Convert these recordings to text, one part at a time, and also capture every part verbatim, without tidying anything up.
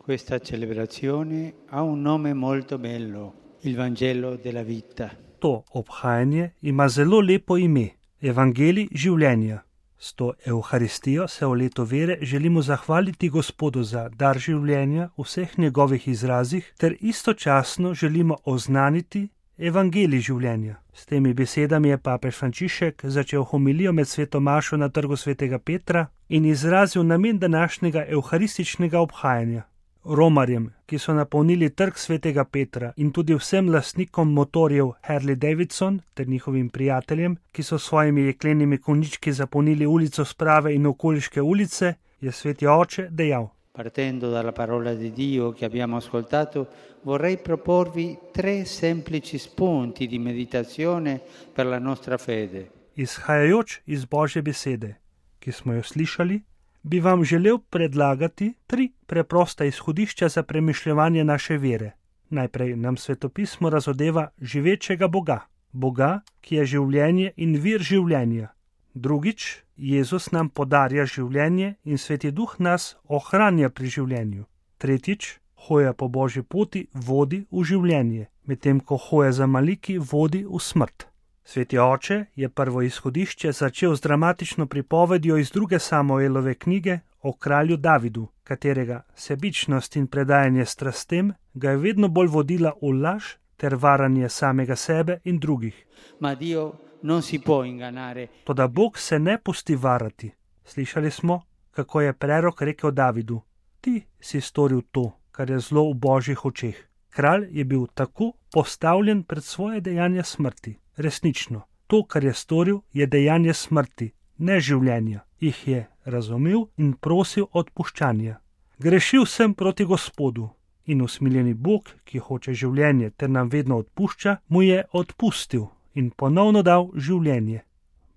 Questa celebrazione ha un nome molto bello, il Vangelo della vita. To obhajanje ima zelo lepo ime, Evangelij življenja. S to Evharistijo se v letu vere želimo zahvaliti Gospodu za dar življenja v vseh njegovih izrazih ter istočasno želimo oznaniti Evangelij življenja. S temi besedami je papež Frančišek začel homilijo med sveto mašo na trgu svetega Petra in izrazil namen današnjega evharističnega obhajanja. Romarjem, ki so napolnili trg svetega Petra in tudi vsem lastnikom motorjev Harley Davidson ter njihovim prijateljem, ki so svojimi jeklenimi konjički zapolnili ulico Sprave in okoliške ulice, je sveti oče dejal: Partendo dalla parola di Dio che abbiamo ascoltato, vorrei proporvi tre semplici spunti di meditazione per la nostra fede. Izhajajoč iz Božje besede, ki smo jo slišali, bi vam želel predlagati tri preprosta izhodišča za premišljevanje naše vere. Najprej nam svetopismo razodeva živečega Boga, Boga, ki je življenje in vir življenja. Drugič, Jezus nam podarja življenje in Sveti Duh nas ohranja pri življenju. Tretjič, hoja po Božji poti vodi v življenje, medtem ko hoja za maliki vodi v smrt. Sveti oče je prvo izhodišče začel z dramatično pripovedjo iz druge Samuelove knjige o kralju Davidu, katerega sebičnost in predajanje strastem ga je vedno bolj vodila v laž ter varanje samega sebe in drugih. Ma Dio non si può ingannare. Toda Bog se ne pusti varati. Slišali smo, kako je prerok rekel Davidu: ti si storil to, kar je zlo v Božjih očeh. Kralj je bil tako postavljen pred svoje dejanje smrti. Resnično, to, kar je storil, je dejanje smrti, ne življenja. Jih je razumel in prosil odpuščanja. Grešil sem proti Gospodu in usmiljeni Bog, ki hoče življenje ter nam vedno odpušča, mu je odpustil in ponovno dal življenje.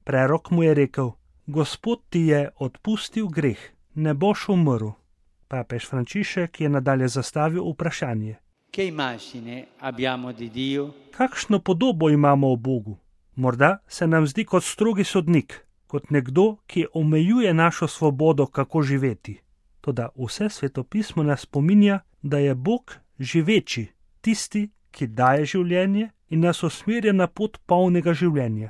Prerok mu je rekel: Gospod ti je odpustil greh, ne boš umrl. Papež Frančišek je nadalje zastavil vprašanje: Che immagine abbiamo di Dio? Kakšno podobo imamo o Bogu? Morda se nam zdi kot strogi sodnik, kot nekdo, ki omejuje našo svobodo, kako živeti. Toda vse svetopismo nas spominja, da je Bog živeči, tisti, ki daje življenje in nas usmerja na pot polnega življenja.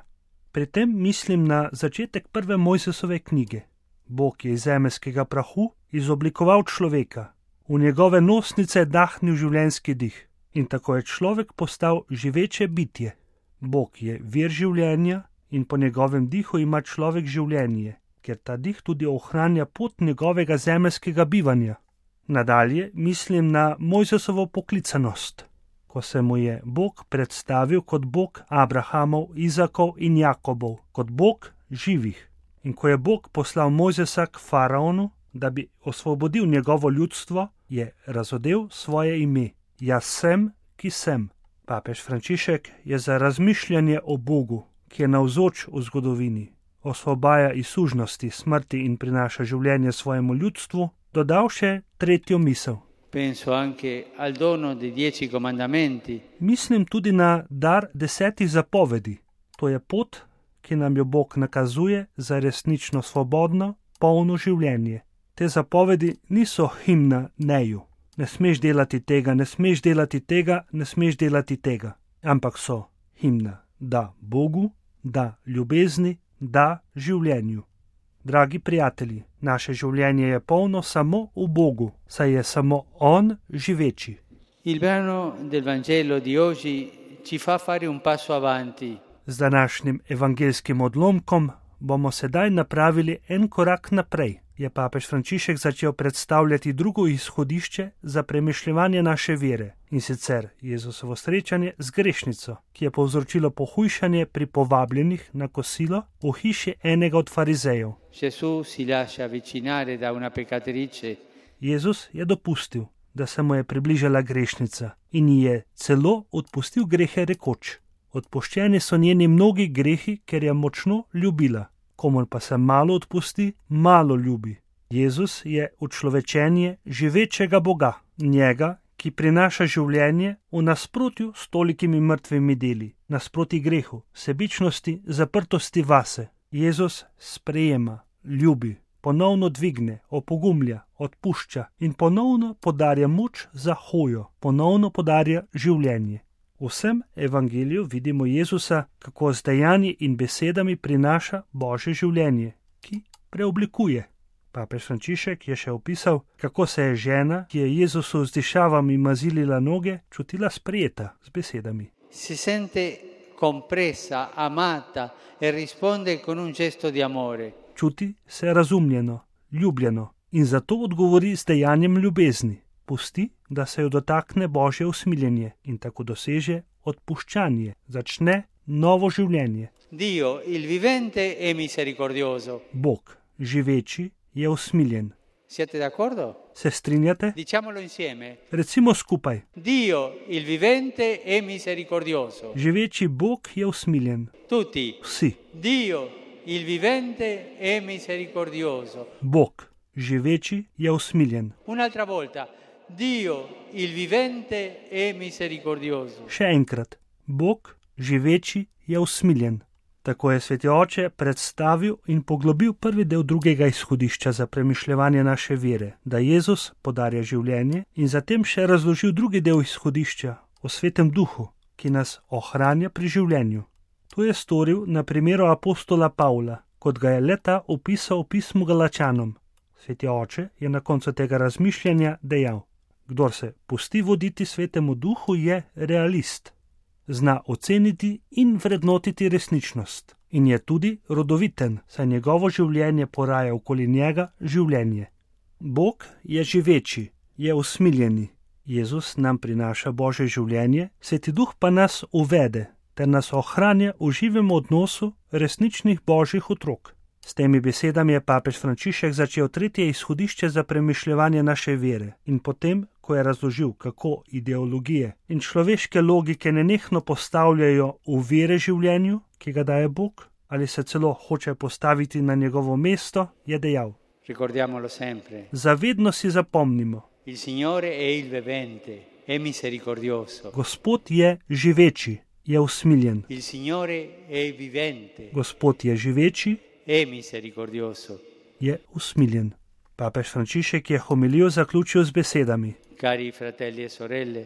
Pri tem mislim na začetek prve Mojzesove knjige. Bog je iz zemeljskega prahu izoblikoval človeka, v njegove nosnice dahnil življenjski dih in tako je človek postal živeče bitje. Bog je vir življenja in po njegovem dihu ima človek življenje, ker ta dih tudi ohranja pot njegovega zemeljskega bivanja. Nadalje mislim na Mojzesovo poklicanost, ko se mu je Bog predstavil kot Bog Abrahamov, Izakov in Jakobov, kot Bog živih. In ko je Bog poslal Mojzesa k faraonu, da bi osvobodil njegovo ljudstvo, je razodel svoje ime: Jaz sem, ki sem. Papež Frančišek je za razmišljanje o Bogu, ki je navzoč v zgodovini, osvobaja iz sužnosti, smrti in prinaša življenje svojemu ljudstvu, dodal še tretjo misel. Penso anche al dono dei dieci comandamenti. Mislim tudi na dar desetih zapovedi. To je pot, ki nam jo Bog nakazuje za resnično svobodno, polno življenje. Te zapovedi niso himna neju. Ne smeš delati tega, ne smeš delati tega, ne smeš delati tega. Ampak so himna da Bogu, da ljubezni, da življenju. Dragi prijatelji, naše življenje je polno samo v Bogu, saj je samo On živeči. Il brano del Vangelo di oggi ci fa fare un passo avanti. Z današnjim evangeljskim odlomkom bomo sedaj napravili en korak naprej. Je papež Frančišek začel predstavljati drugo izhodišče za premišljevanje naše vere, in sicer Jezusovo srečanje z grešnico, ki je povzročilo pohujšanje pri povabljenih na kosilo v hiši enega od farizejev. Jezus je dopustil, da se mu je približala grešnica in ji je celo odpustil grehe rekoč: odpuščeni so njeni mnogi grehi, ker je močno ljubila. Komor pa se malo odpusti, malo ljubi. Jezus je učlovečenje živečega Boga, njega, ki prinaša življenje v nasprotju s tolikimi mrtvimi deli, nasproti grehu, sebičnosti, zaprtosti vase. Jezus sprejema, ljubi, ponovno dvigne, opogumlja, odpušča in ponovno podarja moč za hojo, ponovno podarja življenje. V vsem evangeliju vidimo Jezusa, kako z dejanji in besedami prinaša Božje življenje, ki preoblikuje. Papež Frančišek je še opisal, kako se je žena, ki je Jezusu z dišavami mazilila noge, čutila sprejeta z besedami. Si sente compresa, amata e risponde con un gesto di amore. Čuti se razumljeno, ljubljeno in zato odgovori z dejanjem ljubezni. Pusti, da se jo dotakne Božje usmiljenje in tako doseže odpuščanje, začne novo življenje. Dio, il vivente, è misericordioso. Bog, živeči, je usmiljen. Siete d'accordo? Se strinjate? Diciamolo insieme. Recimo skupaj. Dio, il vivente, è misericordioso. Živeči Bog je usmiljen. Tutti. Vsi. Dio, il vivente, è misericordioso. Bog, živeči, je usmiljen. Un'altra volta. Dio, il vivente, è misericordioso. Še enkrat. Bog, živeči, je usmiljen. Tako je Sveti Oče predstavil in poglobil prvi del drugega izhodišča za premišljevanje naše vere, da Jezus podarja življenje, in zatem še razložil drugi del izhodišča o Svetem Duhu, ki nas ohranja pri življenju. To je storil na primeru apostola Pavla, kot ga je le-ta opisal v pismu Galačanom. Sveti Oče je na koncu tega razmišljanja dejal: Kdor se pusti voditi Svetemu Duhu, je realist. Zna oceniti in vrednotiti resničnost in je tudi rodoviten, saj njegovo življenje poraja okoli njega življenje. Bog je živeči, je usmiljeni. Jezus nam prinaša Božje življenje, Sveti Duh pa nas uvede ter nas ohranja v živem odnosu resničnih Božjih otrok. S temi besedami je papež Frančišek začel tretje izhodišče za premišljevanje naše vere in potem, ko je razložil, kako ideologije in človeške logike nenehno postavljajo ovire življenju, ki ga daje Bog, ali se celo hoče postaviti na njegovo mesto, je dejal: Ricordiamolo sempre. Zavedno si zapomnimo. Il Signore è il vivente, è misericordioso. Gospod je živeči, je usmiljen. Il Signore è vivente. Gospod je živeči, è misericordioso. Je usmiljen. Papež Frančišek je homilijo zaključil z besedami: Cari fratelli e sorelle,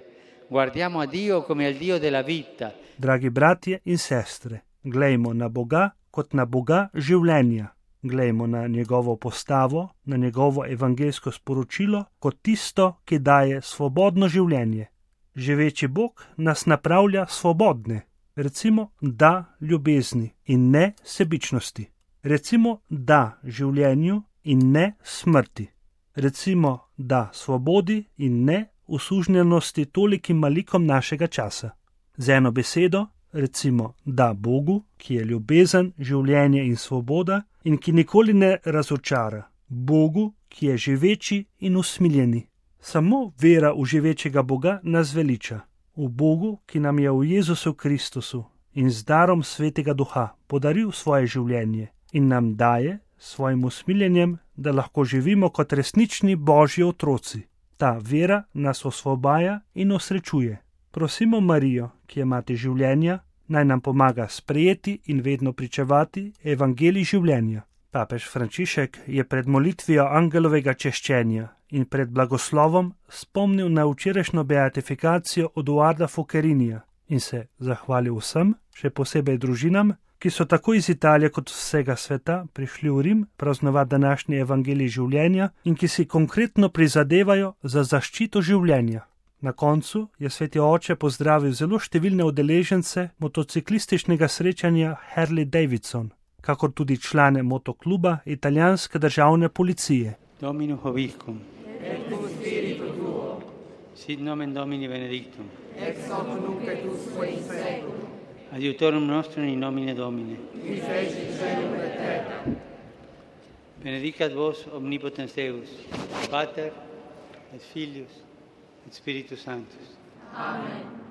guardiamo a Dio come al Dio della vita. Dragi bratje in sestre, glejmo na Boga kot na Boga življenja. Glejmo na njegovo postavo, na njegovo evangeljsko sporočilo kot tisto, ki daje svobodno življenje. Živeči Bog nas napravlja svobodne. Recimo da ljubezni in ne sebičnosti. Recimo da življenju in ne smrti. Recimo da svobodi in ne usužnjenosti tolikim malikom našega časa. Z eno besedo, recimo da Bogu, ki je ljubezen, življenje in svoboda in ki nikoli ne razočara. Bogu, ki je živeči in usmiljeni. Samo vera v živečega Boga nas veliča. V Bogu, ki nam je v Jezusu Kristusu in z darom Svetega Duha podaril svoje življenje in nam daje svojim usmiljenjem, da lahko živimo kot resnični Božji otroci. Ta vera nas osvobaja in osrečuje. Prosimo Marijo, ki je mati življenja, naj nam pomaga sprejeti in vedno pričevati evangelij življenja. Papež Frančišek je pred molitvijo angelovega češčenja in pred blagoslovom spomnil na včerajšnjo beatifikacijo Eduarda Focchettinija in se zahvalil vsem, še posebej družinam, ki so tako iz Italije kot vsega sveta prišli v Rim praznovati današnji evangelij življenja in ki si konkretno prizadevajo za zaščito življenja. Na koncu je Sveti Oče pozdravil zelo številne udeležence motociklističnega srečanja Harley Davidson, kakor tudi člane motokluba italijanske državne policije. Dominus vobiscum. Et cum spiritu tuo. Sit nomen Domini benedictum. Ex hoc nunc et usque in seculum. Adiutorum nostrum in nomine Domini. Qui feci caelum et terra. Benedicat vos omnipotens Deus, Pater et Filius et Spiritus Sanctus. Amen.